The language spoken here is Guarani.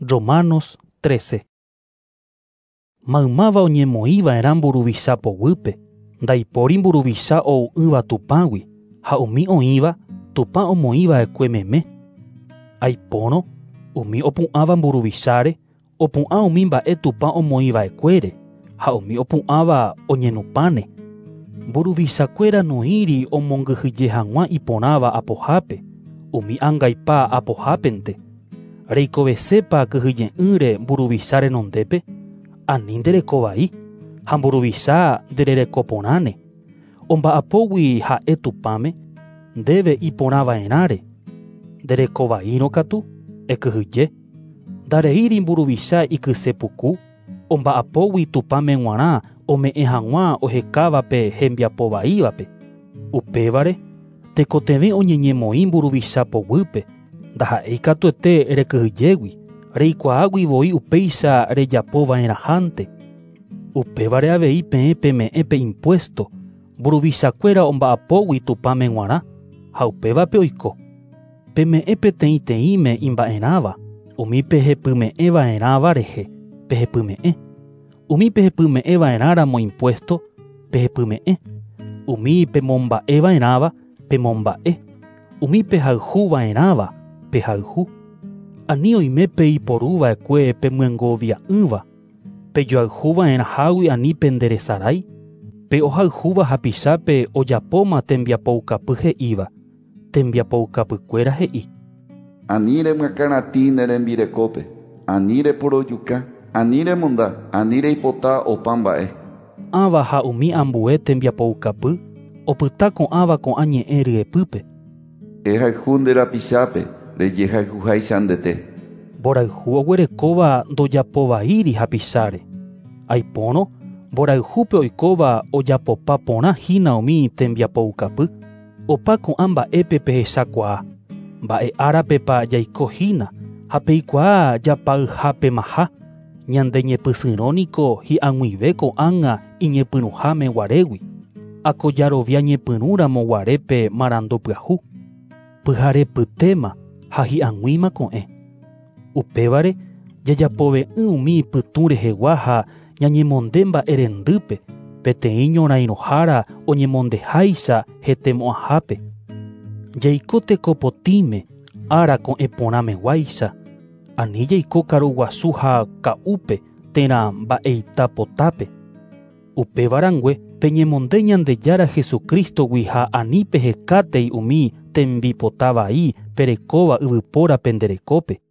Romanos 13. Maymáva oñemoĩva'erã mburuvicha poguýpe, ndaipóri mburuvicha ou'ỹva Tupãgui ha umi oĩva Tupã omoĩva'ekue meme. Aipórõ umi opu'ãva mburuvicháre opu'ã umi mba'e Tupã omoĩva'ekuére ha umi opu'ãva oñenupãne. Mburuvichakuéra noĩri omongyhyje hag̃ua iporãva apohápe, umi angaipa apohápente. Reikovesépa kyhyje'ỹre mburuvicha renondépe, ani nderekovai ha mburuvicha ndererekoporãne. Omba'apógui ha'e Tupãme, ndéve iporãva'erãre. Nderekovaírõ katu, ekyhyje. Ndareíri mburuvicha ikysepuku, omba'apógui Tupãme g̃uarã ome'ẽ hag̃ua ohekávape hembiapovaívape. Upévare, tekotevẽ oñeñemoĩ mburuvicha poguýpe, ndaha'éi katuete rekyhyjégui, reikuaágui voi upéicha rejapova'erãhánte. Upévare avei peẽ peme'ẽ pe impuesto, mburuvichakuéra omba'apógui Tupãme g̃uarã ha upévape oiko. Peme'ẽ peteĩteĩme imba'erãva, umi pehepyme'ẽva'erãva rehe pehepyme'ẽ. Umi pehepyme'ẽva'erãramo impuesto, pehepyme'ẽ. Umi pemomba'eva'erãva, pemomba'e. Umi pehayhuva'erãva, pehayhu. Ani oime peiporuva'ekue pemyengovia'ỹva, pejoayhuva'erãhágui ani penderesarái. Pe ohayhúva hapichápe ojapóma tembiapoukapy he'íva. Tembiapoukapykuéra he'i. Ani remyakãratĩ ne rembirekópe, ani reporojuka, ani remonda, ani reipota opa mba'e. Ãva ha umi ambue tembiapoukapy opyta ko'ãva ko'ã ñe'ẽ ryepýpe. Ehayhu nde rapichápe rejehayhuháicha ndete. Mborayhu oguerekóva ndojapovaíri hapicháre. Aipórõ mborayhúpe oikóva ojapopa porã hína umi tembiapoukapy. Opa ko'ã mba'épe pehechakuaa. Mba'e árapepa jaiko hína ha peikuaa japayhápemaha. Ñande ñepysyrõniko hi'ag̃uive ko'ág̃a iñepyrũháme guarégui. Akojarovia ñepyrũramo guarépe marandu pyahu. Pyharepytéma ha hi'ag̃uíma ko'ẽ. Upévare jajapove'ỹ umi pytũ rehegua ha ñañemonde mba'erendýpe peteĩ ñorairõhára oñemondeháicha hetemo'ãhápe. Jaiko tekopotĩme ára ko'ẽ porãmeguáicha. Ani jaiko karuguasu ha ka'úpe térã mba'eitapotápe. Upéva rangue peñemonde Ñandejára Jesucristogui ha ani pehekátei umi tembipota vai perekóva yvypóra penderekópe.